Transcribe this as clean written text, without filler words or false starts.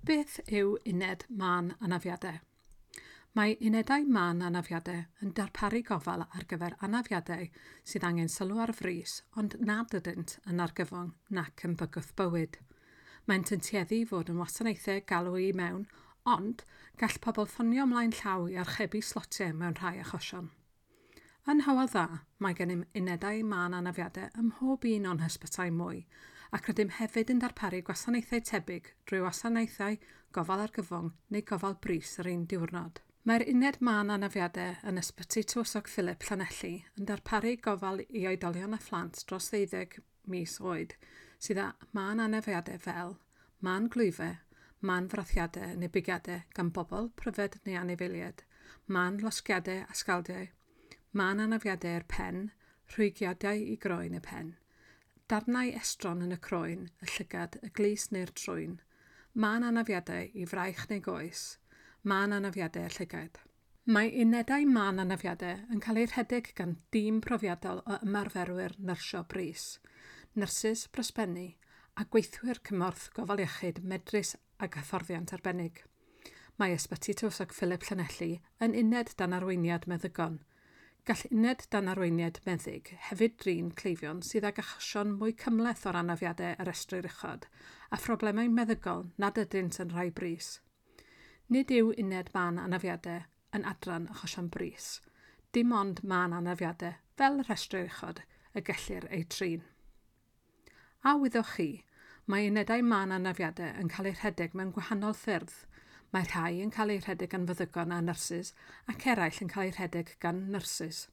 Beth yw uned mân anafiadau? Mae unedau mân anafiadau yn darparu gofal ar gyfer anafiadau sydd angen sylw ar frys ond nad ydynt yn argyfwng nac yn bygwth bywyd. Maent yn tueddu i fod yn wasanaethau galw i mewn, ond gall pobl ffonio ymlaen llaw i archebu slotiau mewn rhai achosion. Yn Hywel Dda, mae gennym unedau mân anafiadau ym mhob un o'n hysbytai mwy, ac rydym hefyd yn darparu gwasanaethau tebyg drwy wasanaethau gofal argyfwng neu gofal brys yr un diwrnod. Mae'r uned mân anafiadau yn Ysbyty Tywysog Philip Llanelli yn darparu gofal i oedolion a phlant dros 12 mis oed sydd â mân anafiadau fel mân glwyfau, mân frathiadau neu bigiadau gan bobl, pryfed neu anifeiliaid, mân losgiadau a sgaldiau, mân anafiadau i'r pen, rhwygiadau i groen y pen, darnau estron yn y croen, y llygad, y glust neu'r trwyn, mân anafiadau i fraich neu goes, mân anafiadau i'r llygaid. Mae unedau mân anafiadau yn cael eu rhedeg gan dîm profiadol o ymarferwyr nyrsio brys, nyrsys brysbennu a gweithwyr cymorth gofal iechyd medrus ag hyfforddiant arbennig. Mae Ysbyty Tywysog Philip Llanelli yn uned dan arweiniad meddygon. Gall uned dan arweiniad meddyg hefyd drin cleifion sydd ag achosion mwy cymhleth o'r anafiadau a restrir uchod a phroblemau meddygol nad ydynt yn rhai brys. Nid yw uned mân anafiadau yn adran achosion brys. Dim ond mân anafiadau, fel y rhestrir uchod, y gellir eu trin. A wyddoch chi, mae unedau mân anafiadau yn cael eu rhedeg mewn gwahanol ffyrdd. Mae rhai yn cael eu rhedeg gan feddygon a nyrsys ac eraill yn cael eu rhedeg gan nyrsys.